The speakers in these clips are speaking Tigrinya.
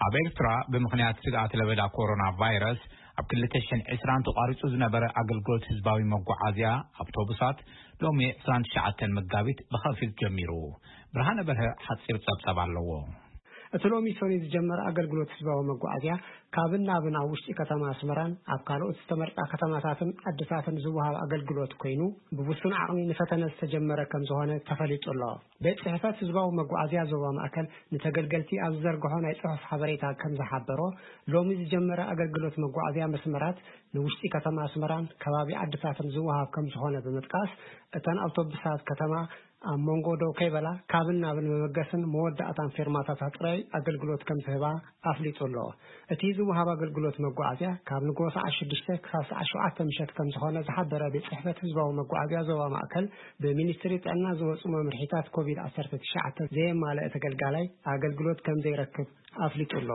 ኣብ ኤርትራ ብምኽንያት ስግኣት ለበዳ ኮሮና ቫይረስ ኣብ ክልተ ሽሕን ዕስራን ተቋሪጹ ዝነበረ ኣገልግሎት ህዝባዊ መጓዓዝያ ኣውቶቡሳት ሎሚ ዕስራን ትሽዓተን መጋቢት ብኸፊል ጀሚሩ። ብርሃነ በርሀ ሓጺር ጸብጻብ ኣለዎ። እቲ ሎሚ ሰኑይ ዝጀመረ ኣገልግሎት ህዝባዊ መጓዓዝያ ካብን ናብን ኣብ ውሽጢ ከተማ ኣስመራን ኣብ ካልኦት ዝተመርጻ ከተማታትን ዓድታትን ዝወሃብ ኣገልግሎት ኮይኑ፣ ብውሱን ዓቕሚ ንፈተነ ዝተጀመረ ከም ዝኾነ ተፈሊጡ ኣሎ። ቤት ጽሕፈት ህዝባዊ መጓዓዝያ ዞባ ማእከል ንተገልገልቲ ኣብ ዝዘርግሖ ናይ ጽሑፍ ሓበሬታ ከም ዝሓበሮ፣ ሎሚ ዝጀመረ ኣገልግሎት መጓዓዝያ መስመራት ንውሽጢ ከተማ ኣስመራን ከባቢ ዓድታትን ዝወሃብ ከም ዝኾነ ብምጥቃስ፣ እተን ኣውቶቡሳት ከተማ ኣብ መንጎ ደው ከይበላ ካብን ናብን መበገስን መወዳእታን ፌርማታታት ጥራይ ኣገልግሎት ከም ዝህባ ኣፍሊጡ ኣሎ። እቲ ዝወሃብ ኣገልግሎት መጓዓዝያ ካብ ንግሆ ሰዓት ሽዱሽተ ክሳብ ሰዓት ሸውዓተ ምሸት ከም ዝኾነ ዝሓበረ ቤት ጽሕፈት ህዝባዊ መጓዓዝያ ዞባ ማእከል፣ ብሚኒስትሪ ጥዕና ዝወጹ መምርሒታት ኮቪድ ዓሰርተ ትሽዓተ ዘየማልአ ተገልጋላይ ኣገልግሎት ከም ዘይረክብ ኣፍሊጡ ኣሎ።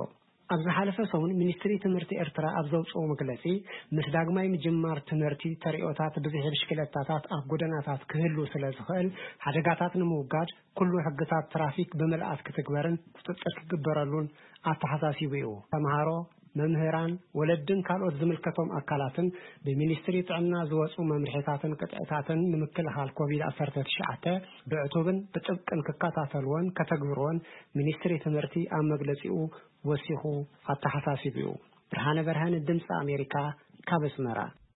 ኣብ ዝሓለፈ ሰሙን ሚኒስትሪ ትምህርቲ ኤርትራ ኣብ ዘውጽኦ መግለጺ፣ ምስ ዳግማይ ምጅማር ትምህርቲ ተርእዮታት ብዝሒ ብሽክለታታት ኣብ ጎደናታት ክህሉ ስለ ዝኽእል፣ ሓደጋታት ንምውጋድ ኩሉ ሕግታት ትራፊክ ብምልኣት ክትግበርን ቁጽጽር ክግበረሉን ኣተሓሳሲቡ እዩ። ተምሃሮ፣ መምህራን፣ ወለድን ካልኦት ዝምልከቶም ኣካላትን ብሚኒስትሪ ጥዕና ዝወጹ መምርሒታትን ቅጥዕታትን ንምክልኻል ኮቪድ ዓሰርተ ትሽዓተ ብዕቱብን ብጥብቅን ክከታተልዎን ከተግብርዎን ሚኒስትሪ ትምህርቲ ኣብ መግለጺኡ ወሲኹ ኣተሓሳሲቡ እዩ። ብርሃነ በርሀን፣ ድምፂ ኣሜሪካ፣ ካብ ኣስመራ።